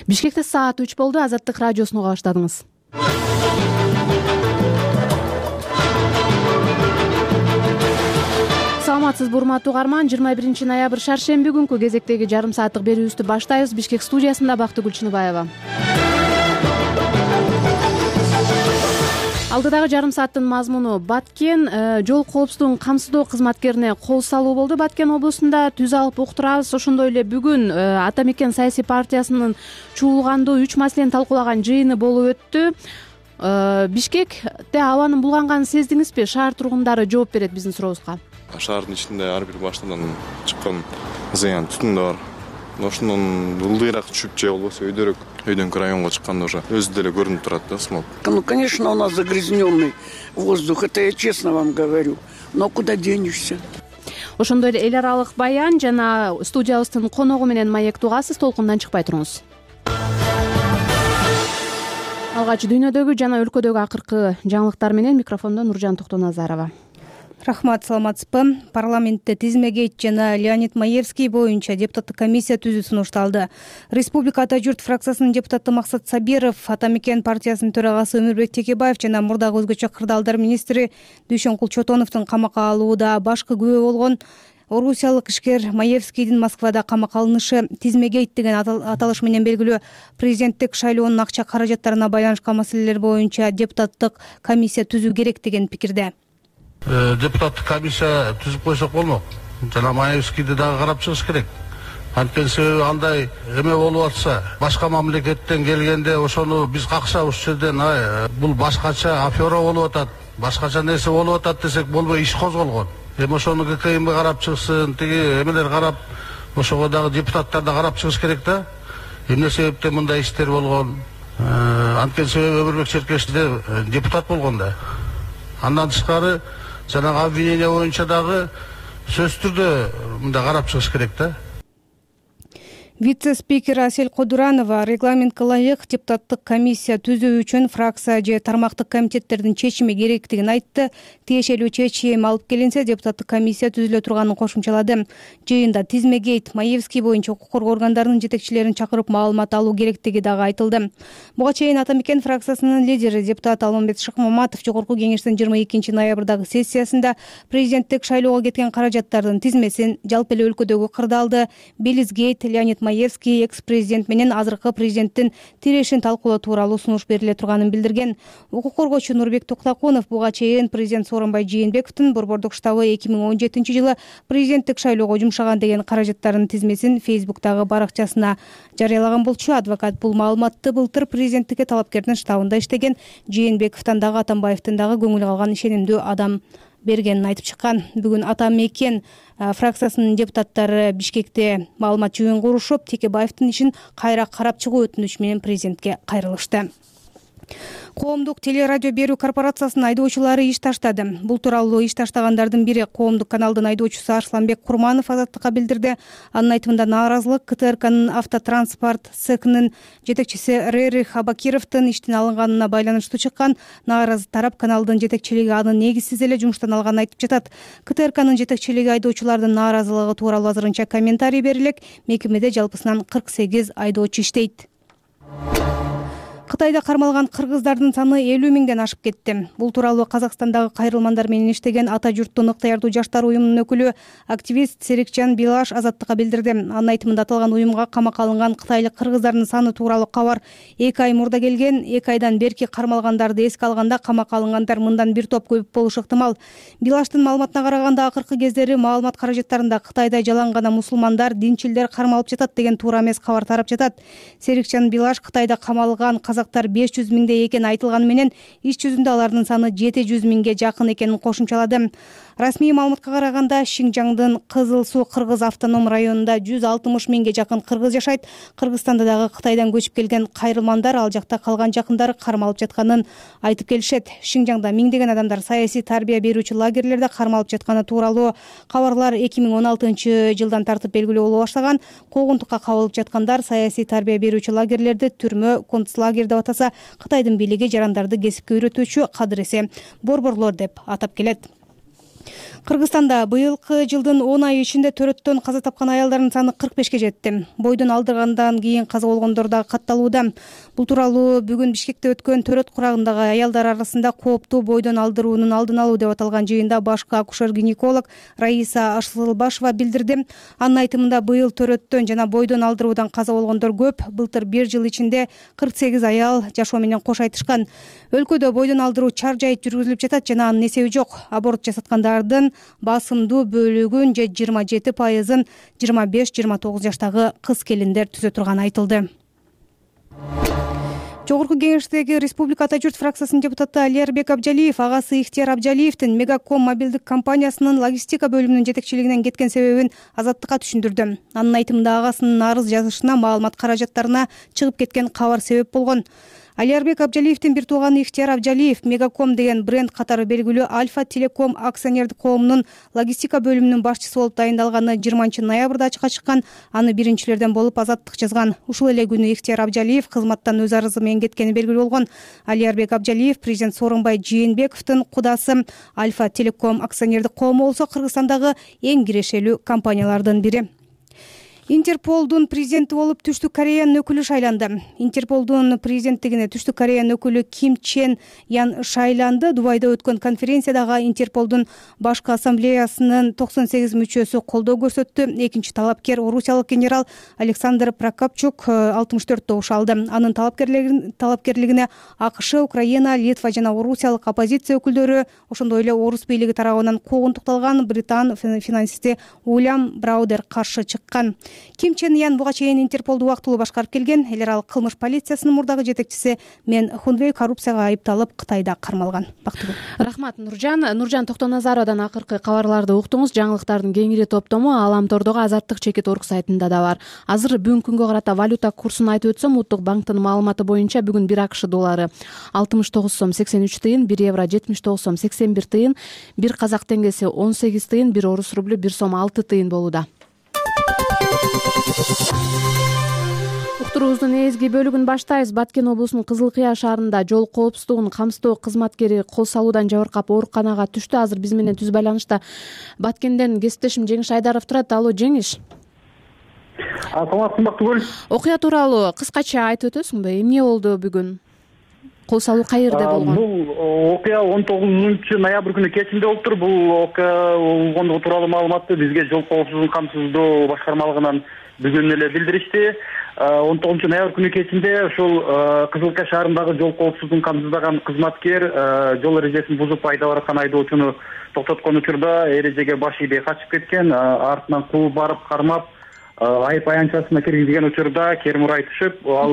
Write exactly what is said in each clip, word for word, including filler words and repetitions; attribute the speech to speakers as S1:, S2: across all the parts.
S1: Бишкекте саат үч болду. Азаттык радиосуна баштадыңыз. Саламатсызбы урматтуу угарман, жыйырма биринчи ноябрь шаршемби күнкү кезектеги жарым сааттык берүүбүздү баштайбыз. Бишкек студиясында Бактыгүл Чыныбаева. Алдыдагы жарым сааттын мазмуну Баткен жол коопсуздугун камсыздоо кызматкерине кол салуу болду. Баткен облусунда түз алып уктурабыз. Ошондой эле бүгүн Ата Мекен саясий партиясынын чуулгандуу үч маселени талкуулаган жыйыны болуп өттү. Бишкекте абанын булганганын сездиңизби? Шаар тургундары жооп берет биздин сурообузга.
S2: Шаардын ичинде ар бир баштан чыккан зыян түтүн бар. Ошондон ылдыйраак түшүп же болбосо өйдөрөөк өйдөнкү районго чыкканда уже өзү деле көрүнүп турат да смог.
S3: Ну, конечно, у нас загрязненный воздух, это я честно вам говорю. Но куда денешься?
S1: Ошондой эле эл аралык баян жана студиябыздын коногу менен маектик угасыз. Толкундан чыкпай туруңуз. Алгач дүйнөдөгү жана өлкөдөгү акыркы жаңылыктар менен микрофондо Нуржан Токтоназарова.
S4: Рахмат, саламатсызбы. Парламентте Тизмегейт жана Леонид Маевский боюнча депутаттык комиссия түзүү сунушталды. Республика Ата журт фракциясынын депутаты Максат Сабиров, Ата Мекен партиясынын төрагасы Өмүрбек Текебаев жана мурдагы өзгөчө кырдаалдар министри Дүйшөнкул Чотоновдун камакка алууда башкы күбө болгон орусиялык ишкер Маевскийдин Москвада камакка алынышы Тизмегейт деген аталыш менен белгилүү президенттик шайлоонун акча каражаттарына байланышкан маселелер боюнча депутаттык комиссия түзүү керек деген пикирде.
S5: Депутаттык комиссия түзүп койсок болмок. Жана Маевскийди дагы карап чыгыш керек. Анткени себеби андай эме болуп атса, башка мамлекеттен келгенде ошону биз какшап ушул жерден бул башкача афера болуп атат, башкача нерсе болуп атат десек болбой иш козголгон. Эми ошону ГКМ карап чыгсын, тиги эмелер карап, ошого дагы депутаттар да карап чыгыш керек да. Эмне себептен мындай иштер болгон? Анткени себеби Өмүрбек Черкешевде депутат болгон да. Андан тышкары жанагы обвинение боюнча дагы сөзсүз түрдө мындай карап чыгыш керек да.
S4: Вице-спикер Асель Кодуранова регламентке ылайык депутаттык комиссия түзүү үчүн фракция же тармактык комитеттердин чечими керектигин айтты. Тиешелүү чечим алып келинсе, депутаттык комиссия түзүлө турганын кошумчалады. Жыйында Тизмегейт, Маевский боюнча укук коргоо органдарынын жетекчилерин чакырып маалымат алуу керектиги дагы айтылды. Буга чейин Ата Мекен фракциясынын лидери депутат Алмамбет Шыкмаматов жогорку кеңештин жыйырма экинчи ноябрдагы сессиясында президенттик шайлоого кеткен каражаттардын тизмесин, жалпы эле өлкөдөгү кырдаалды Белизгейт, Леонид Маевский экс-президент менен азыркы президенттин тирешин талкуулоо тууралуу сунуш бериле турганын билдирген. Укук коргоочу Нурбек Токтакунов буга чейин президент Сооронбай Жээнбековдун борбордук штабы эки миң он жетинчи жылы президенттик шайлоого жумшаган деген каражаттардын тизмесин Фейсбуктагы баракчасына жарыялаган болчу. Адвокат бул маалыматты былтыр президенттикке талапкердин штабында иштеген Жээнбековдон дагы Атамбаевдин дагы көңүл калган ишенимдүү адам бергенин айтып чыккан. Бүгүн Ата Мекен фракциясынын депутаттары Бишкекте маалымат жыйын курушуп, Текебаевдин ишин кайра карап чыгуу өтүнүчү менен президентке кайрылышты. Коомдук телерадио берүү корпорациясынын айдоочулары иш таштады. Бул тууралуу иш таштагандардын бири коомдук каналдын айдоочусу Арсланбек Курманов Азаттыкка билдирди. Анын айтымында нааразылык КТРКнын автотранспорт цехинин жетекчиси Рерих Абакировдун иштен алынганына байланыштуу чыккан. Нааразы тарап каналдын жетекчилиги аны негизсиз эле жумуштан алганын айтып жатат. КТРКнын жетекчилиги айдоочулардын нааразылыгы тууралуу азырынча комментарий берилек. Мекемеде жалпысынан кырк сегиз айдоочу иштейт. Кытайда кармалган кыргыздардын саны элүү миңден ашып кетти. Бул тууралуу Казакстандагы кайрылмандар менен иштеген Ата журттун ыктыярдуу жаштар уюмунун өкүлү активист Серикжан Билаш Азаттыкка билдирди. Анын айтымында аталган уюмга камакка алынган кытайлык кыргыздардын саны тууралуу кабар эки ай мурда келген. эки айдан берки кармалгандарды эске алганда камакка алынгандар мындан бир топ көп болушу ыктымал. Билаштын маалыматына караганда акыркы кездери маалымат каражаттарында Кытайда жалаң гана мусулмандар, динчилдер кармалып жатат деген туура эмес кабар тарап жатат. Серикжан Билаш Кытайда камалган казактар беш жүз миңдей экени айтылганы менен иш жүзүндө алардын саны жети жүз миңге жакын экенин кошумчалады. Расмий маалыматка караганда Шинжаңдын Кызыл Суу кыргыз автоном районунда жүз алтымыш миңге жакын кыргыз жашайт. Кыргызстанда дагы Кытайдан көчүп келген кайрылмандар ал жакта калган жакындары кармалып жатканын айтып келишет. Шинжаңда миңдеген адамдар саясий тарбия берүүчү лагерлерде кармалып жатканы тууралуу кабарлар эки миң он алтынчы жылдан тартып белгилүү боло баштаган. Куугунтукка кабылып жаткандар саясий тарбия берүүчү лагерлерди түрмө, концлагерь деп атаса, Кытайдын бийлиги жарандарды кесипке үйрөтүүчү кадыр эсе борборлор деп атап келет. Кыргызстанда быйылкы жылдын он айы ичинде төрөттөн каза тапкан аялдардын саны кырк бешке жетти. Бойдон алдыргандан кийин каза болгондор да катталууда. Бул тууралуу бүгүн Бишкекте өткөн төрөт курагындагы аялдар арасында кооптуу бойдон алдыруунун алдын алуу деп аталган жыйында башкы акушер-гинеколог Раиса Ашсылбашева билдирди. Анын айтымында быйыл төрөттөн жана бойдон алдыруудан каза болгондор көп. Былтыр бир жыл ичинде кырк сегиз аял жашоо менен кош айтышкан. Өлкөдө бойдон алдыруу чаржайыт жүргүзүлүп жатат жана анын эсеби жок. Аборт жасаткандардын басымдуу бөлүгүн же жыйырма жети пайызын жыйырма беш жыйырма тогуз жаштагы кыз келиндер түзө турганы айтылды. Жогорку кеңештеги Республика Ата журт фракциясынын депутаты Алиербек Абжалиев агасы Ихтияр Абжалиевдин Мегаком мобилдик компаниясынын логистика бөлүмүнүн жетекчилигинен кеткен себебин Азаттыкка түшүндүрдү. Анын айтымында агасынын арыз жазышына маалымат каражаттарына чыгып кеткен кабар себеп болгон. Алиербек Абжалиевдин бир тууганы Ихтияр Абжалиев Мегаком деген бренд катары белгилүү Альфа Телеком акционердик коомунун логистика бөлүмүнүн башчысы болуп дайындалганы жыйырманчы ноябрда ачыкка чыккан. Аны биринчилерден болуп Азаттык жазган. Ушул эле күнү Ихтияр Абжалиев кызматтан өз арызы менен кеткени белгилүү болгон. Алиербек Абжалиев президент Сооронбай Жээнбековдун кудасы. Альфа Телеком акционердик коому болсо Кыргызстандагы эң кирешелүү компаниялардын бири. Интерполдун президенти болуп Түштүк Кореянын өкүлү шайланды. Интерполдун президенттигине Түштүк Кореянын өкүлү Ким Чен Ян шайланды. Дубайда өткөн конференциядагы Интерполдун башкы ассамблеясынын токсон сегиз мүчөсү колдоо көрсөттү. Экинчи талапкер орусиялык генерал Александр Прокопчук алтымыш төрт добуш алды. Анын талапкерлигине АКШ, Украина, Литва жана орусиялык оппозиция өкүлдөрү, ошондой эле орус бийлиги тарабынан куугунтукталган британ финансисти Уильям Браудер каршы чыккан. Ким Чен Ян буга чейин Интерполду убактылуу башкарып келген. Эл аралык кылмыш полициясынын мурдагы жетекчиси Мен Хунвей коррупцияга айыпталып Кытайда кармалган. Бактыгүл.
S1: Рахмат Нуржан. Нуржан Токтоназаровадан акыркы кабарларды уктуңуз. Жаңылыктардын кеңири топтому Аламтордогу Азаттык чекит орг сайтында да бар. Азыр бүгүнкү күнгө карата валюта курсун айтып өтсөм, Улуттук банктын маалыматы боюнча бүгүн бир АКШ доллары алтымыш тогуз сом сексен үч тыйын, бир евро жетимиш тогуз сом сексен бир тыйын, бир казак теңгеси он сегиз тыйын, бир орус рублю бир сом алты тыйын болууда. Уктуруубуздун эзги бөлүгүн баштайбыз. Баткен облусунун Кызыл Кыя шаарында жол коопсуздугун камсыздоо кызматкери кол салуудан жабыркап ооруканага түштү. Азыр биз менен түз байланышта Баткенден кесиптешим Жеңиш Айдаров турат. Алло, Жеңиш.
S6: Саламатсызбы Бактыгүл?
S1: Окуя тууралуу кыскача айтып өтөсүңбү? Эмне болду бүгүн? Кол салуу каерде болгон?
S6: Бул окуя он тогузунчу ноябрь күнү кечинде болуптур. Бул окуя болгондугу тууралуу маалыматты бизге жол коопсуздугун камсыздоо башкармалыгынан бүгүн эле билдиришти. он тогузунчу ноябрь күнү кечинде ушул Кызыл Кыя шаарындагы жол коопсуздугун камсыздаган кызматкер жол эрежесин бузуп айдап бараткан айдоочуну токтоткон учурда эрежеге баш ийбей качып кеткен. Артынан кууп барып кармап айып аянтчасына киргизген учурда кермурай түшүп, ал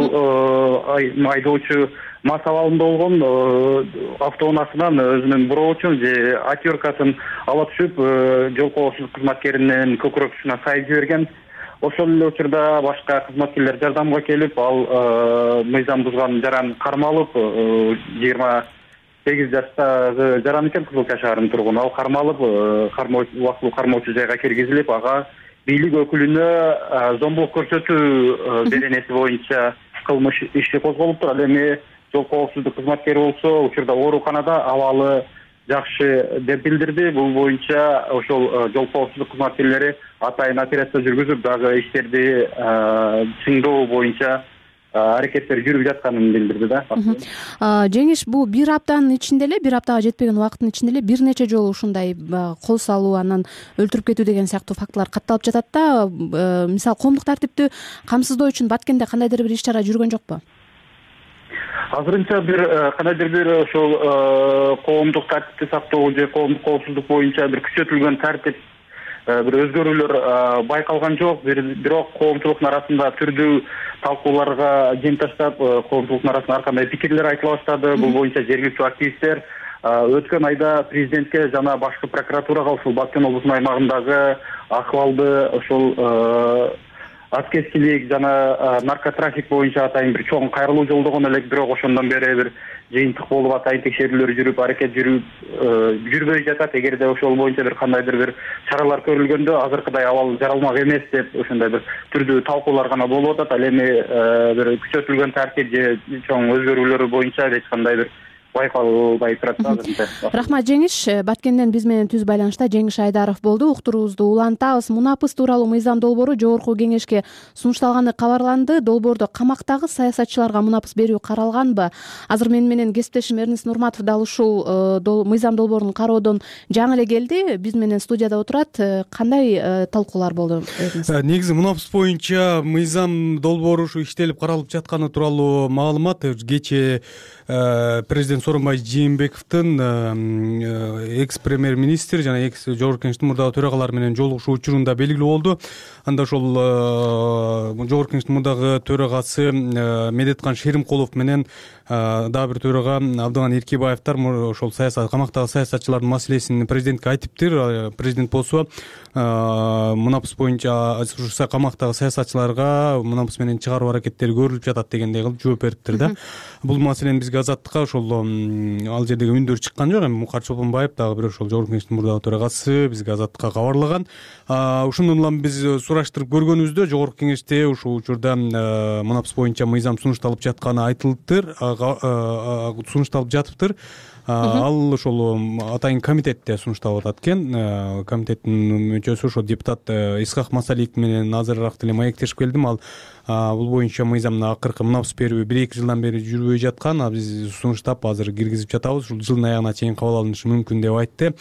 S6: айдоочу мас абалында болгон, автоунаасынан өзүнүн броочун же атёркасын ала түшүп, жол коопсуздук кызматкеринин көкүрөк тушуна сайып жиберген. Ошол эле учурда башка кызматкерлер жардамга келип, ал мыйзам бузган жаран кармалып, жыйырма сегиз жаштагы жаран экен, Кызыл Кыя шаарынын тургуну. Ал кармалып, убактылуу кармоочу жайга киргизилип, ага бийлик өкүлүнө зомбулук көрсөтүү беренеси боюнча кылмыш иши козголуптур. Ал эми жол коопсуздук кызматкери болсо учурда ооруканада, абалы жакшы деп билдирди. Бул боюнча ошол жол коопсуздук кызматкерлери атайын операция жүргүзүп, дагы иштерди чыңдоо боюнча аракеттер жүрүп жатканын билдирди да.
S1: Жеңиш, бул бир аптанын ичинде эле, бир аптага жетпеген убакыттын ичинде эле бир нече жолу ушундай кол салуу, анан өлтүрүп кетүү деген сыяктуу фактылар катталып жатат да. Мисалы, коомдук тартипти камсыздоо үчүн Баткенде кандайдыр бир иш-чара жүргөн жокпу?
S6: Азырынча бир кандайдыр бир ошол коомдук тартипти сактоо же коомдук коопсуздук боюнча бир күчөтүлгөн тартип, бир өзгөрүүлөр байкалган жок. Бирок коомчулуктун арасында түрдүү талкууларга жем таштап, коомчулуктун арасында ар кандай пикирлер айтыла баштады. Бул боюнча жергиликтүү активисттер өткөн айда президентке жана башкы прокуратурага ушул Баткен облусунун аймагындагы акыбалды ошол аскерчилик жана наркотрафик боюнча атайын бир чоң кайрылуу жолдогон элек, бирок ошондон бери бир жыйынтык болуп атайын текшерүүлөр жүрүп, аракет жүрүп жүрбөй жатат. Эгерде ошол боюнча бир кандайдыр бир чаралар көрүлгөндө азыркыдай абал жаралмак эмес деп ошондой бир түрдүү талкуулар гана болуп атат. Ал эми бир күчөтүлгөн тартип же чоң өзгөрүүлөр боюнча эч кандай бир байкалбай турат да азырынча.
S1: Рахмат Жеңиш. Баткенден биз менен түз байланышта Жеңиш Айдаров болду. Уктуруубузду улантабыз. Мунапыс тууралуу мыйзам долбоору Жогорку Кеңешке сунушталганы кабарланды. Долбоордо камактагы саясатчыларга мунапыс берүү каралганбы? Азыр менин менен кесиптешим Эрнис Нурматов дал ушул мыйзам долбоорун кароодон жаңы эле келди. Биз менен студияда отурат. Кандай талкуулар болду?
S7: Негизи мунапыс боюнча мыйзам долбоору ушу иштелип каралып жатканы тууралуу маалымат кечээ президент Сооронбай Жээнбековдун экс премьер министр жана экс Жогорку Кеңештин мурдагы төрагалары менен жолугушуу учурунда белгилүү болду. Анда ошол Жогорку Кеңештин мурдагы төрагасы Медеткан Шеримкулов менен дагы бир төрага Абдыган Эркебаевдер ошол саясат камактагы саясатчылардын маселесин президентке айтыптыр. Президент болсо мунапыс боюнча ушу камактагы саясатчыларга мунапыс менен чыгаруу аракеттери көрүлүп жатат дегендей кылып жооп бериптир да. Бул маселени бизге Азаттыкка ошол ал жердеги үндөр чыккан жок. Эми Мукар Чолпонбаев дагы бир ошол Жогорку Кеңештин мурдагы төрагасы бизге Азаттыкка кабарлаган. Ошондон улам биз сураштырып көргөнүбүздө Жогорку Кеңеште ушул учурда мунапыс боюнча мыйзам сунушталып жатканы айтылыптыр, сунушталып жатыптыр. Ал ошол атайын комитетте сунушталып атат экен. Комитеттин мүчөсү ошол депутат Исхак Масалиев менен азырыраак деле маектешип келдим. Ал бул боюнча мыйзамдын акыркы мунапыс берүү бир эки жылдан бери жүрбөй жаткан. Биз сунуштап азыр киргизип жатабыз. Ушул жылдын аягына чейин кабыл алынышы мүмкүн деп айтты.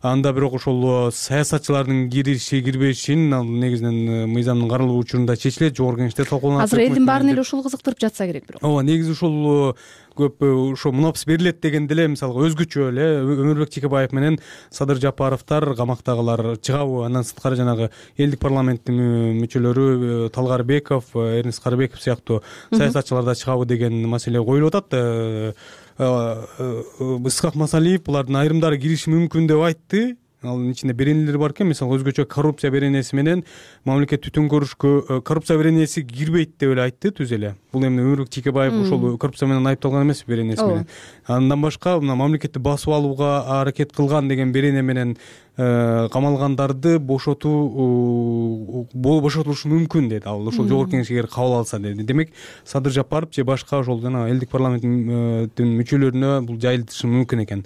S7: Анда бирок ошол саясатчылардын кириши кирбешин ал негизинен мыйзамдын каралуу учурунда чечилет, Жогорку Кеңеште талкууланат.
S1: Азыр элдин баарын эле ушул кызыктырып жатса керек бирок.
S7: Ооба, негизи ушул көп ошо мунапыс берилет дегенде эле мисалга өзгөчө эле Өмүрбек Текебаев менен Садыр Жапаровдор камактагылар чыгабы, андан сырткары жанагы элдик парламенттин мүчөлөрү Талгарбеков, Эрнис Карыбеков сыяктуу саясатчылар да чыгабы деген маселе коюлуп атат. Исхак Масалиев булардын айрымдары кириши мүмкүн деп айтты. Алын ичинде беренелер бар экен. Мисалы өзгөчө коррупция беренеси менен мамлекет түтүн көрүшкө коррупция беренеси кирбейт деп эле айтты түз эле. Бул эми Өмүрбек Текебаев ошол коррупция менен айыпталган эмес беренеси менен. Андан башка мына мамлекетти басып алууга аракет кылган деген берене менен камалгандарды бошотуу бошотулушу мүмкүн деди. Ал ошол Жогорку Кеңешке кабыл алса деди. Демек Садыр Жапаров же башка ошол жана элдик парламенттин мүчөлөрүнө бул жайылтышы мүмкүн экен.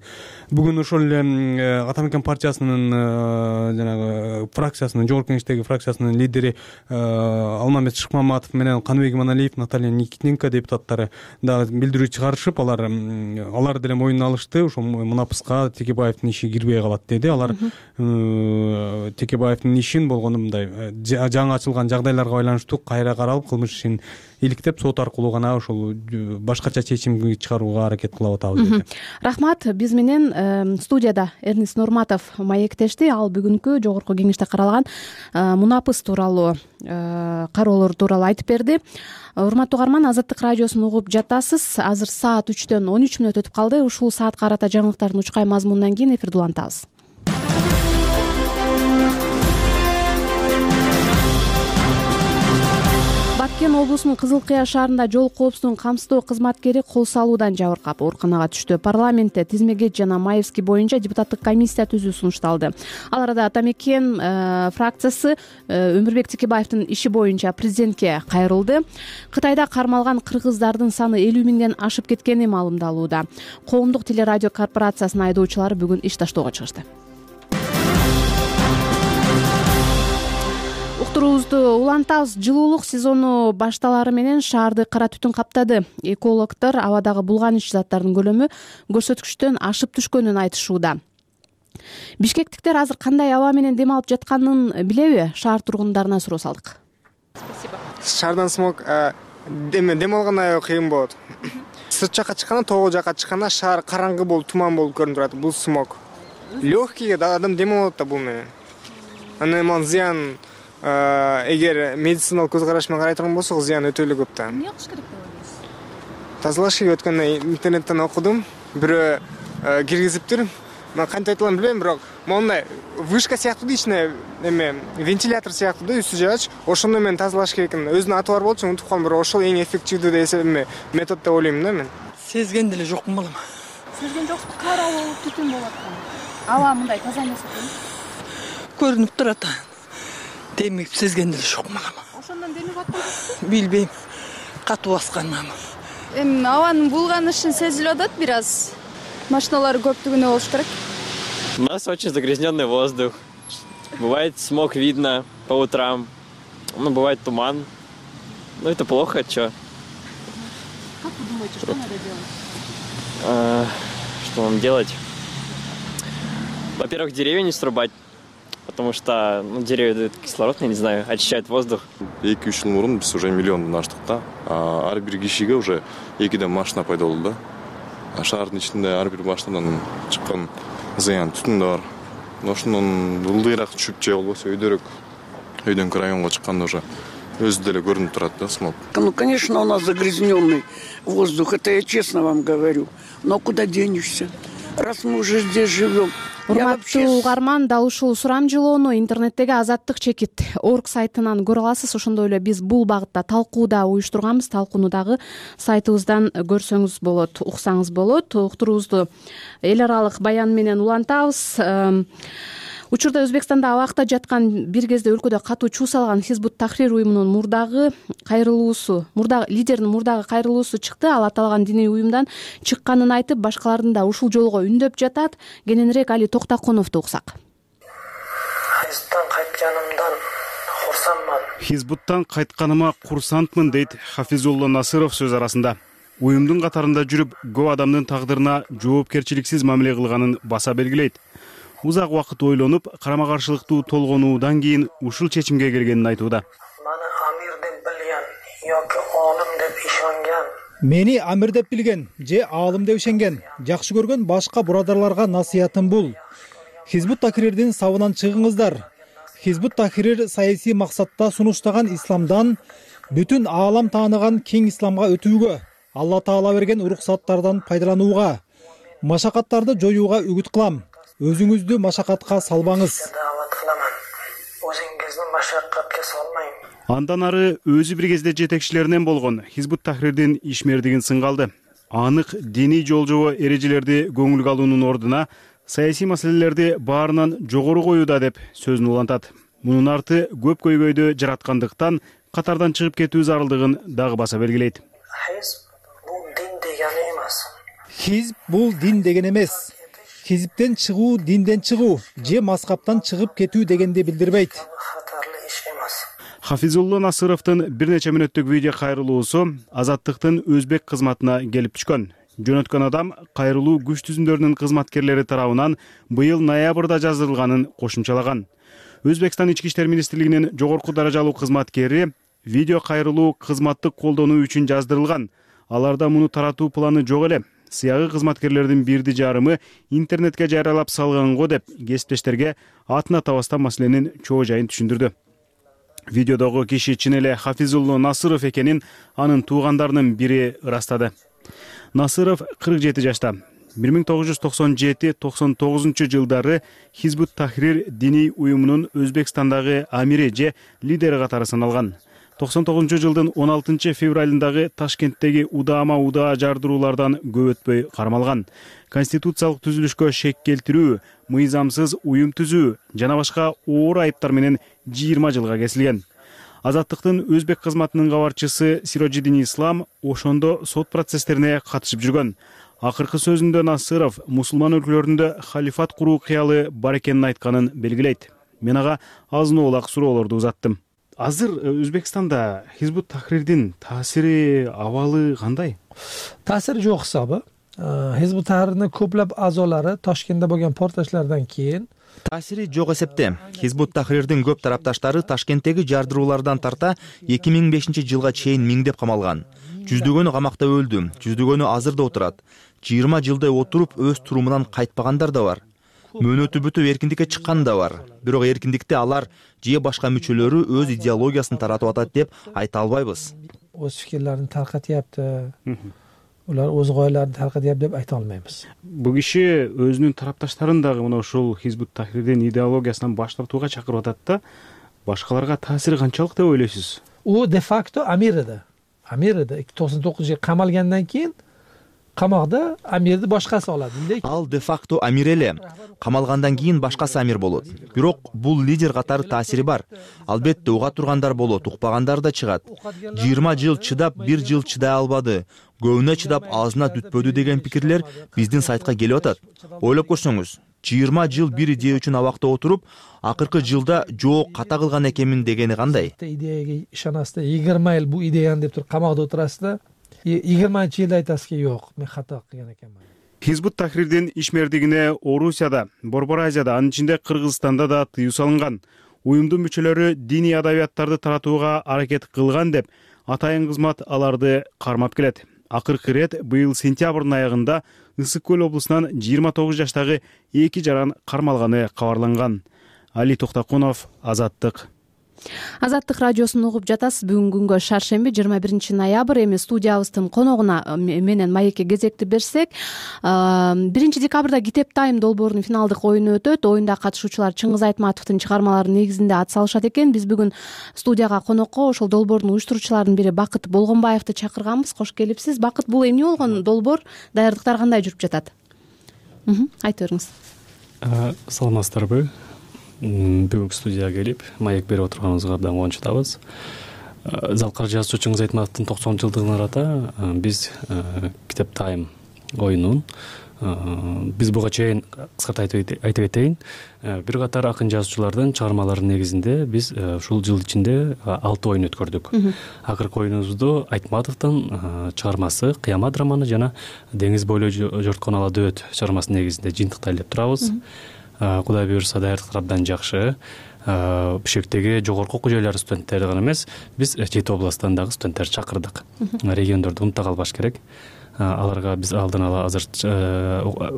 S7: Бүгүн ошол эле Атамекен партиясынын жанагы фракциясынын Жогорку Кеңештеги фракциясынын лидери Алмамет Шыкмаматов менен Каныбек Иманалиев, Наталья Никитенко депутаттары дагы билдирүү чыгарышып, алар алар деле моюнуна алышты. Ошол мунапыска Текебаевдин иши кирбей калат деди. Алар Текебаевдин ишин болгону мындай жаңы ачылган жагдайларга байланыштуу кайра каралып кылмыш ишин иликтеп сот аркылуу гана ошол башкача чечим чыгарууга аракет кылып атабыз деди.
S1: Рахмат. Биз менен студияда Эрнис Нурматов маектешти. Ал бүгүнкү Жогорку Кеңеште каралган мунапыс тууралуу кароолор тууралуу айтып берди. Урматтуу угарман, Азаттык радиосун угуп жатасыз. Азыр саат үчтөн он үч мүнөт өтүп калды. Ушул саатка карата жаңылыктардын учкай мазмунунан кийин эфирди улантабыз. Баткен облусунун Кызыл Кыя шаарында жол коопсуздугун камсыздоо кызматкери кол салуудан жабыркап ооруканага түштү. Парламентте Тизмегет жана Маевский боюнча депутаттык комиссия түзүү сунушталды. Ал арада Атамекен фракциясы Өмүрбек Текебаевдин иши боюнча президентке кайрылды. Кытайда кармалган кыргыздардын саны элүү миңден ашып кеткени маалымдалууда. Коомдук телерадио корпорациясынын айдоочулары бүгүн иш таштоого чыгышты. Уктуруубузду улантабыз. Жылуулук сезону башталары менен шаарды кара түтүн каптады. Экологдор абадагы булганыч заттардын көлөмү көрсөткүчтөн ашып түшкөнүн айтышууда. Бишкектиктер азыр кандай аба менен дем алып жатканын билеби? Шаар тургундарына суроо салдык.
S8: Спасибо. Шаардан смог дем алган кыйын болот. Сырт жакка чыкканда, тогу жакка чыкканда шаар караңгы болуп, туман болуп көрүнүп турат. Бул смог. Лёгкий адам дем алат да бул менен. Анан зыян эгер медициналык көз караш менен карай турган болсок, зыян өтө эле көп да. Эмне кылыш керек деп ойлойсуз? Тазалаш керек. Өткөндө интернеттен окудум. Бирөө киргизиптир. Мен кантип айтылганын билбейм, бирок мондай вышка сыяктуу ичине эме вентилятор сыяктуу да, үстү жаач. Ошондо мен тазалаш керек экен. Өзүнүн аты бар болчу, унутуп калдым, бирок ошол эң эффективдүү эме метод деп ойлойм да мен. Сезген деле жокмун балам. Сезген жоксуз, кара болуп түтүн болуп аткан. Аба мындай таза эмес экен. Көрүнүп турат. Демип сезген деле жокмун балам. Ошондон демип аткансызбы? Билбейм. Катуу баскан ама. Эми абанын булганышын сезилип атат бир аз.
S4: машиналар көптүгүнө болуш керек.
S9: У нас очень загрязненный воздух. Бывает смог видно по утрам. Ну, бывает туман. Ну, это плохо, что?
S1: Как вы думаете, что надо делать?
S9: А, что нам делать? Во-первых, деревья не срубать, потому что ну, деревья дают кислород, я не знаю, очищают воздух.
S2: эки үч жыл мурун биз уже миллиондон аштык да. Ар бир кишиге уже экиден машина пайда болду да. Шаардын ичинде ар бир машинадан чыккан зыян түтүн да бар. Ошондон ылдыйраак түшүп же болбосо өйдөрөөк өйдөнкү районго чыкканда уже өзү деле көрүнүп турат да смог.
S3: Ну, конечно, у нас загрязненный воздух, это я честно вам говорю. Но куда денешься? Раз мы уже здесь живем.
S1: Урматтуу угарман, дал ушул сурамжылоону интернеттеги Азаттык чекит орг сайтынан көрө аласыз. Ошондой эле биз бул багытта талкуу да уюштурганбыз. Талкууну дагы сайтыбыздан көрсөңүз болот, уксаңыз болот. Уктуруубузду эл аралык баян менен улантабыз. Учурда Өзбекстанда абакта жаткан бир кезде өлкөдө катуу чуу салган Хизбут Тахрир уюмунун мурдагы кайрылуусу, мурдагы лидеринин мурдагы кайрылуусу чыкты. Ал аталган диний уюмдан чыкканын айтып, башкалардын да ушул жолго үндөп жатат. Кененирээк Али Токтаконовду уксак.
S10: Хизбуттан кайтканымдан курсанман.
S11: Хизбуттан кайтканыма курсантмын дейт Хафизулло Насыров сөз арасында. Уюмдун катарында жүрүп, көп адамдын тагдырына жоопкерчиликсиз мамиле кылганын баса белгилейт. Узак убакыт ойлонуп, карама-каршылыктуу толгонуудан кийин ушул чечимге келгенин айтууда.
S10: Маны амир деп билген yoki olim деп ишенген.
S12: Мени амир деп билген же аалым деп ишенген, жакшы көргөн башка бурадарларга насыятым бул. Хизбут Тахрирдин сабынан чыгыңыздар. Хизбут Тахрир саясий максатта сунуштаган исламдан бүтүн аалам тааныган кең исламга өтүүгө, Алла Таала берген уруксаттардан пайдаланууга, машакаттарды жоюуга үгүт кылам. Өзүңүздү машакатка салбаңыз.
S10: Өзүңүздү машакатка салмайм.
S11: Андан ары өзү бир кезде жетекчилеринен болгон Хизбут Тахрирдин ишмердигин сынга алды. Анык диний жол-жобо эрежелерди көңүлгө алуунун ордуна саясий маселелерди баарынан жогору коюуда деп сөзүн улантат. Мунун арты көп көйгөйдү жараткандыктан катардан чыгып кетүү зарылдыгын дагы баса белгилейт.
S10: Хизб бул дин дегени эмес.
S12: Хизб бул дин деген эмес. Хизиптен чыгуу динден чыгуу же маскаптан чыгып кетүү дегенди билдирбейт.
S10: Хатарлы иш эмес.
S11: Хафизулло Насыровдун бир нече мүнөттүк видео кайрылуусу Азаттыктын өзбек кызматына келип түшкөн. Жөнөткөн адам кайрылуу күч түзүмдөрүнүн кызматкерлери тарабынан быйыл ноябрда жаздырылганын кошумчалаган. Өзбекстан ички иштер министрлигинин жогорку даражалуу кызматкери видео кайрылуу кызматтык колдонуу үчүн жаздырылган. Аларда муну таратуу планы жок эле. Сыягы кызматкерлердин бирди жарымы интернетке жарыялап салганго деп кесиптештерге атын атабастан маселенин чоо жайын түшүндүрдү. Видеодогу киши чын эле Хафизулло Насыров экенин анын туугандарынын бири ырастады. Насыров кырк жети жашта. бир миң тогуз жүз токсон жети токсон тогузунчу жылдары Хизбут Тахрир диний уюмунун Өзбекстандагы амири же лидери катары саналган. токсон тогузунчу жылдын он алтынчы февралындагы Ташкенттеги удаама удаа жардыруулардан көп өтпөй кармалган. Конституциялык түзүлүшкө шек келтирүү, мыйзамсыз уюм түзүү жана башка оор айыптар менен жыйырма жылга кесилген. Азаттыктын өзбек кызматынын кабарчысы Сироджидин Ислам ошондо сот процесстерине катышып жүргөн. Акыркы сөзүндө Насыров мусулман өлкөлөрүндө халифат куруу кыялы бар экенин айтканын белгилейт. Мен ага азын оолак суроолорду узаттым. Азыр Өзбекстанда Хизбут Тахрирдин таасири, абалы кандай?
S13: Таасири жок хисабы. Хизбут Тахрирдин көплөп азолары Ташкентте болгон портлашлардан кийин
S14: таасири жок эсепте. Хизбут Тахрирдин көп тарапташтары Ташкенттеги жардыруулардан тарта эки миң бешинчи жылга чейин миңдеп камалган. Жүздөгөнү камакта өлдү, жүздөгөнү азыр да отурат. жыйырма жылдай отуруп өз турумунан кайтпагандар да бар. Мөөнөтү бүтүп эркиндикке чыккан да бар. Бирок эркиндикте алар же башка мүчөлөрү өз идеологиясын таратып атат деп айта албайбыз.
S13: Өз фикирлерин таркатыпты. Улар өз гояларын таркатып деп айта албайбыз.
S11: Бул киши өзүнүн тарапташтарын дагы мына ушул Хизбут Тахрирдин идеологиясынан баш тартууга чакырып атат да. Башкаларга таасири канчалык деп ойлойсуз?
S13: У де факто амир эди. Амир эди. токсон тогузунчу жылы камалгандан кийин камакта амирди башкасы алат.
S14: Ал де факто амир эле. Камалгандан кийин башкасы амир болот. Бирок бул лидер катары таасири бар. Албетте уга тургандар болот, укпагандар да чыгат. жыйырма жыл чыдап, бир жыл чыдай албады. Көбүнө чыдап азына түтпөдү деген пикирлер биздин сайтка келип атат. Ойлоп көрсөңүз, жыйырма жыл бир идея үчүн абакта отуруп, акыркы жылда жок ката кылган экенмин дегени кандай?
S13: Идеяга ишанасыздар, жыйырма жыл бу идеяны деп туруп камакта отурасыздар. жыйырманчы жылда айтасызки, жок, мен ката кылган экенмин.
S11: Хизбут Тахрирдин ишмердигине Орусияда, Борбор Азияда, анын ичинде Кыргызстанда да тыюу салынган. Уюмдун мүчөлөрү диний адабияттарды таратууга аракет кылган деп атайын кызмат аларды кармап келет. Акыркы ирет быйыл сентябрдын аягында Ысык Көл облусунан жыйырма тогуз жаштагы эки жаран кармалганы кабарланган. Али Токтокунов, Азаттык.
S1: Азаттык радиосун угуп жатасыз. Бүгүнкү күнгө шаршемби жыйырма биринчи ноябрь. Эми студиябыздын коногуна менен маекке кезекти берсек, биринчи декабрда Китеп Тайм долбоорунун финалдык оюну өтөт. Оюнда катышуучулар Чыңгыз Айтматовдун чыгармалары негизинде ат салышат экен. Биз бүгүн студияга конокко ошол долбоордун уюштуруучуларынын бири Бакыт Болгонбаевди чакырганбыз. Кош келипсиз. Бакыт, бул эмне болгон долбоор? Даярдыктар кандай жүрүп жатат? Айтып бериңиз.
S15: Саламатсыздарбы? Бүгүнкү студияга келип маек берип отурганыбызга абдан кубанычтабыз. Залкар жазуучу Чыңгыз Айтматовдун токсон жылдыгына арата биз Китеп Тайм оюнун биз буга чейин кыскартып айтып кетейин, бир катар акын жазуучулардын чыгармаларынын негизинде биз ушул жыл ичинде алты оюн өткөрдүк. Акыркы оюнубузду Айтматовдун чыгармасы Кыямат романы жана Деңиз бойлой жорткон ала дөбөт чыгармасынын негизинде жыйынтыктайлы деп турабыз. Кудай буюрса даярдыктар абдан жакшы. Бишкектеги жогорку окуу жайлары студенттерди гана эмес, биз жети областтан дагы студенттерди чакырдык. Региондорду унута калбаш керек. Аларга биз алдын ала азыр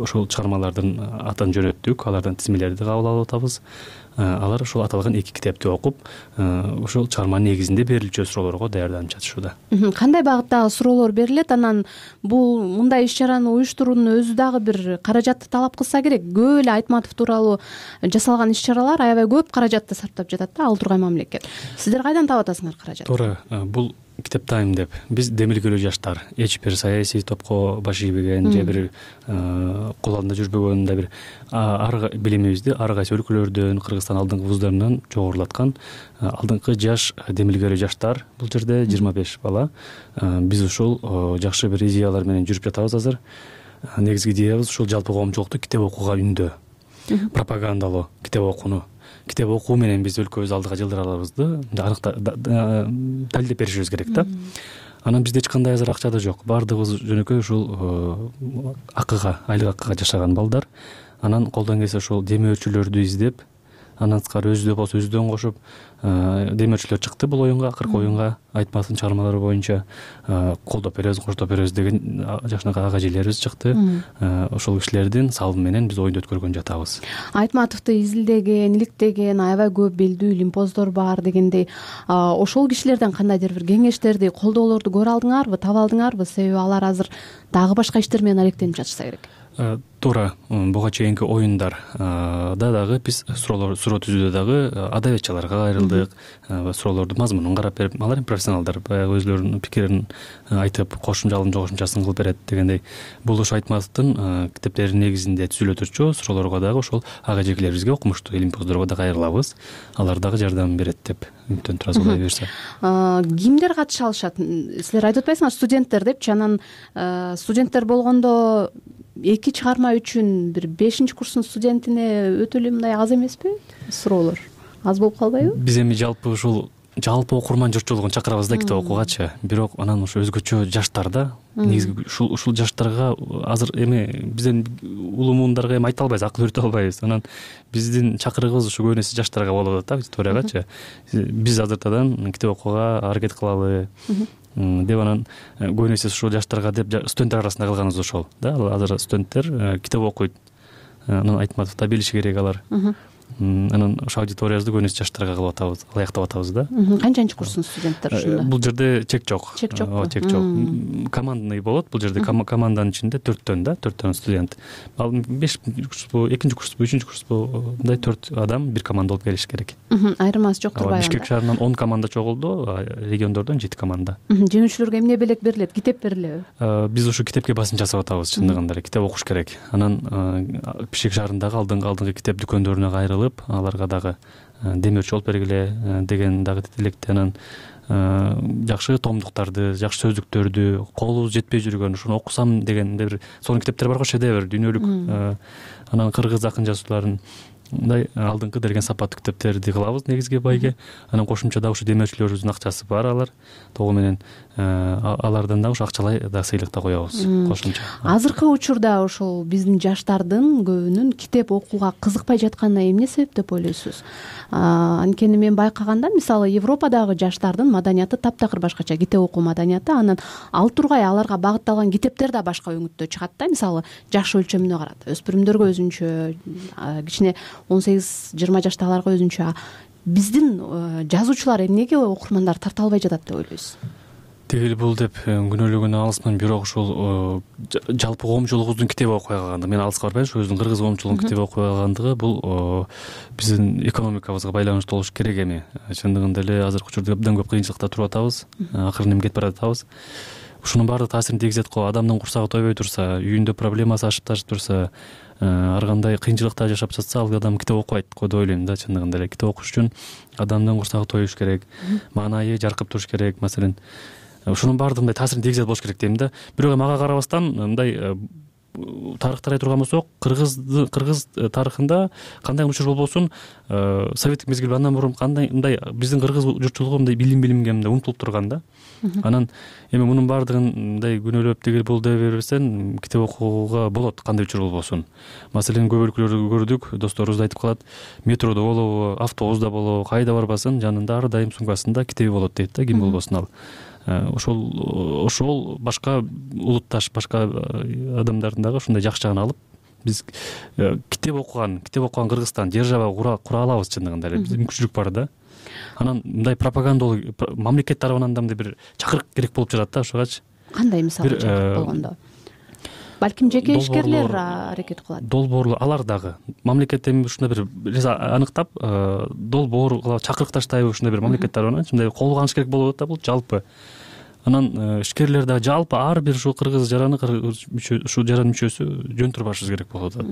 S15: ушул чыгармалардын атын жөнөттүк, алардан тизмелерди кабыл алып атабыз. Алар ушул аталган эки китепти окуп, ушул чыгарманын негизинде берилчү суроолорго даярданып жатышууда.
S1: Кандай багыттагы суроолор берилет? Анан бул мындай иш-чараны уюштуруунун өзү дагы бир каражатты талап кылса керек. Көп эле Айтматов тууралуу жасалган иш-чаралар аябай көп каражатты сарптап жатат да ал тургай мамлекет. Сиздер кайдан таап атасыңар каражатты?
S15: Туура, бул Китеп Тайм деп биз демилгелүү жаштар, эч бир саясий топко баш ийбеген же бир кол алдында жүрбөгөн да бир ар билимибизди ар кайсы өлкөлөрдөн, Кыргызстан алдыңкы вуздарынан жогорулаткан алдыңкы жаш демилгелүү жаштар. Бул жерде жыйырма беш бала. Биз ушул жакшы бир идеялар менен жүрүп жатабыз азыр. Негизги идеябыз ушул жалпы коомчулукту китеп окууга үндөө, пропагандалоо, китеп окууну. Китеп окуу менен биз өлкөбүз алдыга жылдыра алабызды далилдеп беришибиз керек да. Анан бизде эч кандай азыр акча да жок. Баардыгыбыз жөнөкөй ушул акыга, айлык акыга жашаган балдар. Анан колдон келсе ушул демөөрчүлөрдү издеп, андан тышкары өзү болсо өзүдөн кошуп, демөөрчүлөр чыкты бул оюнга, акыркы оюнга Айтматовдун чыгармалары боюнча колдоп беребиз, коштоп беребиз деген жакшынакай ага эжелерибиз чыкты. Ошол кишилердин салымы менен биз оюнду өткөргөн жатабыз.
S1: Айтматовду изилдеген, иликтеген аябай көп белдүү лимпоздор бар дегендей. Ошол кишилерден кандайдыр бир кеңештерди, колдоолорду көрө алдыңарбы, таба алдыңарбы? Себеби алар азыр дагы башка иштер менен алектенип жатышса керек.
S15: Туура, буга чейинки оюндарда дагы биз суроолор суроо түзүүдө дагы адабиятчыларга кайрылдык, суроолордун мазмунун карап берип, алар профессионалдар баягы өзлөрүнүн пикирин айтып, кошумчалын жогошумчасын кылып берет дегендей. Бул ошо Айтматовдун китептеринин негизинде түзүлө турчу суроолорго дагы ошол ага эжекелерибизге, окумуштуу лимпоздорго да кайрылабыз. Алар дагы жардам берет деп үмүттөнүп турабыз, Кудай буюрса.
S1: Кимдер катыша алышат? Силер айтып атпайсыңарбы студенттер депчи, анан студенттер болгондо эки чыгарма үчүн бир бешинчи курстун студентине өтө эле мындай аз эмеспи суроолор? Аз болуп калбайбы?
S15: Биз эми жалпы ушул жалпы окурман журтчулугун чакырабыз да китеп окуугачы. Бирок анан ошо өзгөчө жаштар да. Негизи ушул ушул жаштарга азыр эми бизден улуу муундарга эми айта албайбыз, акыл үйрөтө албайбыз. Анан биздин чакырыгыбыз ушу көбүнө жаштарга болуп атат да, аудиториягачы. Биз азыртадан китеп окууга аракет кылалы деп анан көбүнө ушул жаштарга деп студенттер арасында кылганыбыз ошол да. Азыр студенттер китеп окуйт. Анан Айтматовду билиши керек алар. анан ошо аудиториябызды көбүнесе жаштарга кылып атабыз, ылайыктап атабыз да.
S1: Канчанчы курстун студенттери ушунда?
S15: Бул жерде чек жок.
S1: Чек жок.
S15: Ооба, чек жок. Командный болот. Бул жерде команданын ичинде төрттөн да, төрттөн студент. Ал беш курспу, экинчи курспу, үчүнчү курспу, мындай төрт адам бир команда болуп келиш керек.
S1: Айырмасы жок турбайбы?
S15: Бишкек шаарынан он команда чогулду, региондордон жети команда.
S1: Жеңүүчүлөргө эмне белек берилет? Китеп берилеби?
S15: Биз ушул китепке басым жасап атабыз, чындыгында эле китеп окуш керек. Анан Бишкек шаарындагы алдыңкы алдыңкы китеп дүкөндөрүнө кайрылып, аларга дагы демөөрчү болуп бергиле деген дагы тилекте. Анан жакшы томдуктарды, жакшы сөздүктөрдү, колубуз жетпей жүргөн ушуну окусам деген бир сонун китептер бар го, шедевр, дүйнөлүк. Анан кыргыз акын жазуучуларын мындай алдыңкы делген сапаттуу китептерди кылабыз негизги байге. Анан кошумча дагы ушу демөөрчүлөрүбүздүн акчасы бар, алар тогу менен алардан дагы ушу акчалай да сыйлык да коебуз кошумча.
S1: Азыркы учурда ошол биздин жаштардын көбүнүн китеп окууга кызыкпай жатканына эмне себеп деп ойлойсуз? Анткени мен байкаганда, мисалы Европадагы жаштардын маданияты таптакыр башкача, китеп окуу маданияты. Анан ал тургай аларга багытталган китептер да башка өңүттө чыгат да. Мисалы жаш өлчөмүнө карат, өспүрүмдөргө өзүнчө, кичине он сегиз жыйырма жаштагыларга өзүнчө. Биздин жазуучулар эмнеге окурмандар тарта албай жатат деп ойлойсуз?
S15: Тигил бул деп күнөөлөгөнү алысмын, бирок ушул жалпы коомчулугубуздун китеп окуй алгандыгы, мен алыска барбайм, ушу өзүбүздүн кыргыз коомчулугунун китеп окуй алгандыгы бул биздин экономикабызга байланыштуу болуш керек эми. Чындыгында эле азыркы учурда абдан көп кыйынчылыкта туруп атабыз, акырын эми кетип баратабыз. Ушунун баары таасирин тийгизет го. Адамдын курсагы тойбой турса, үйүндө проблемасы ашып ташып турса, ар кандай кыйынчылыкта жашап жатса, ал адам китеп окубайт го деп ойлойм да. Чындыгында эле китеп окуш үчүн адамдын курсагы тоюш керек, маанайы жаркып туруш керек. Маселен, ушунун баардыгы мындай таасирин тийгизет болуш керек дейм да. Бирок мага карабастан мындай тарыхты карай турган болсок, кыргыз кыргыз тарыхында кандай учур болбосун, советтик мезгил андан мурун кандай мындай биздин кыргыз журтчулугу мындай билим билимге мындай умтулуп турган да. Анан эми мунун баардыгын мындай күнөөлөп тигил бул дей бербестен китеп окууга болот, кандай учур болбосун. Маселен, көп өлкөлөрдү көрдүк, досторубуз айтып калат, метродо болобу, автобуста болобу, кайда барбасын, жанында ар дайым сумкасында китеби болот дейт да, ким болбосун ал. Ошол ошол башка улутташ, башка адамдардын дагы ушундай жакшы жагын алып, биз китеп окуган, китеп окуган Кыргызстан держава кура алабыз. Чындыгында эле биздин мүмкүнчүлүк бар да. Анан мындай пропагандалуу мамлекет тарабынан да мындай бир чакырык керек болуп жатат да. Ошогачы
S1: кандай мисалы чакырык болгондо? Балким жеке ишкерлер аракет кылат.
S15: Долбоорлор алар дагы мамлекет эми ушундай бир аныктап долбоор кылып чакырык таштайбы, ушундай бир мамлекет тарабынан мындай колго алыш керек болуп атат да бул жалпы. Анан ишкерлер дагы жалпы ар бир ушул кыргыз жараны ушул жаранын мүчөсү жөн турбашыбыз керек болуп атат.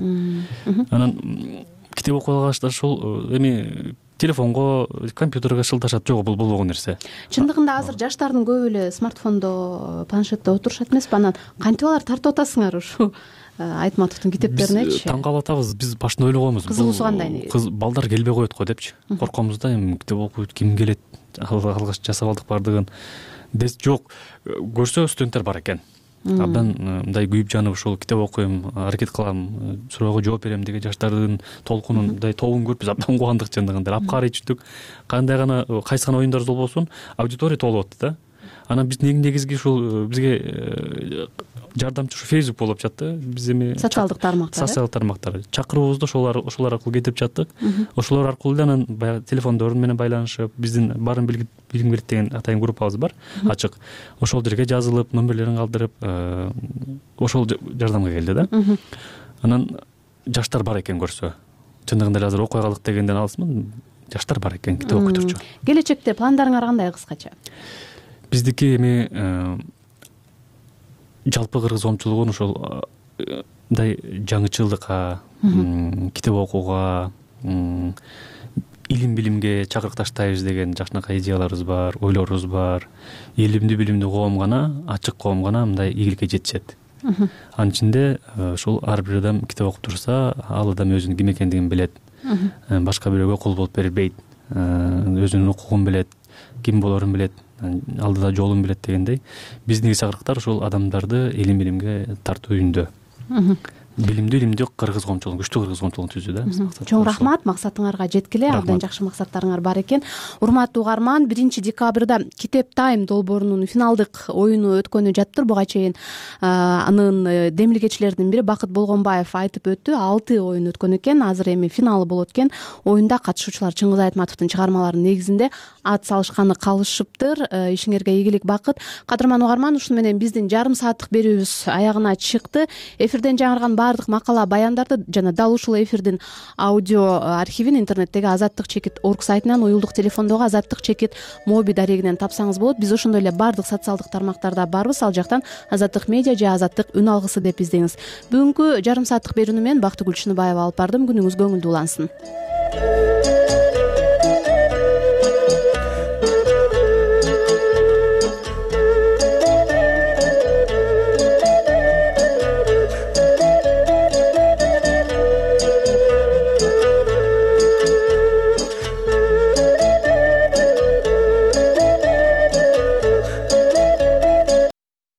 S15: Анан китеп окуй алгачта ушул эми телефонго, компьютерге шылташат, жок, бул болбогон нерсе.
S1: Чындыгында азыр жаштардын көбү эле смартфондо, планшетте отурушат эмеспи? Анан кантип алар тартып атасыңар ушу Айтматовдун китептеринечи?
S15: Таң калып атабыз. Биз башында ойлогонбуз.
S1: Кызыгуусу кандай?
S15: Кыз балдар келбей коет го депчи. Коркобуз да, эми китеп окуйт, ким келет? Алгач жасап алдык бардыгын. Жок, көрсө студенттер бар экен. Абдан мындай күйүп жанып ушул китеп окуйм, аракет кылам, суроого жооп берем деген жаштардын толкунун мындай тобун көрүп биз абдан кубандык. Чындыгында апкарый түштүк. Кандай гана кайсы гана оюндар болбосун, аудитория толуп атты да. Анан биздин негизги ушул бизге жардамчы ушу Facebook болуп жатты. Биз эми
S1: социалдык тармактар,
S15: социалдык тармактар чакыруубузду ошолор ошолор аркылуу кетип жаттык. Ошолор аркылуу эле анан баягы телефондор менен байланышып, биздин баарын билим берет деген атайын группабыз бар, ачык. Ошол жерге жазылып, номерлерин калтырып, ошол жардамга келди да. Анан жаштар бар экен көрсө. Чындыгында эле азыр окуй калдык дегенден алысмын. Жаштар бар экен, китеп окуй турчу.
S1: Келечекте пландарыңар кандай кыскача?
S15: Биздики эми жалпы кыргыз коомчулугун ошол мындай жаңычылдыкка, китеп окууга, илим билимге чакырык таштайбыз деген жакшынакай идеяларыбыз бар, ойлорубуз бар. Илимдүү билимдүү коом гана, ачык коом гана мындай ийгиликке жетишет. Анын ичинде ушул ар бир адам китеп окуп турса, ал адам өзүнүн ким экендигин билет. Башка бирөөгө кул болуп бербейт. Өзүнүн укугун билет, ким болорун билет, алдыда жолун билет дегендей. Биздин чакырыктар ушул адамдарды илим билимге тартуу үйүндө. билимдүү илимдүү кыргыз коомчулугун күчтүү кыргыз коомчулугун түздү да.
S1: Чоң рахмат, максатыңарга жеткиле, абдан жакшы максаттарыңар бар экен. Урматтуу угарман, биринчи декабрда Китеп Тайм долбоорунун финалдык оюну өткөнү жаттыр. Буга чейин анын демилгечилеринин бири Бакыт Болгонбаев айтып өттү. алты оюн өткөн экен. Азыр эми финалы болот экен. Оюнда катышуучулар Чыңгыз Айтматовдун чыгармаларынын негизинде ат салышканы калышыптыр. Ишиңерге ийгилик, бакыт. Кадырман угарман, ушуну менен биздин жарым сааттык берүүбүз аягына чыкты. Эфирден жаңырган баардык макала баяндарды жана дал ушул эфирдин аудио архивин интернеттеги азаттык чекит точка орг сайтынан, уюлдук телефондогу азаттык чекит моби дарегинен тапсаңыз болот. Биз ошондой эле баардык социалдык тармактарда барбыз. Ал жактан Азаттык медиа же Азаттык үн алгысы деп издеңиз. Бүгүнкү жарым сааттык берүүнү мен Бактыгүл Чыныбаева алып бардым. Күнүңүз көңүлдүү улансын.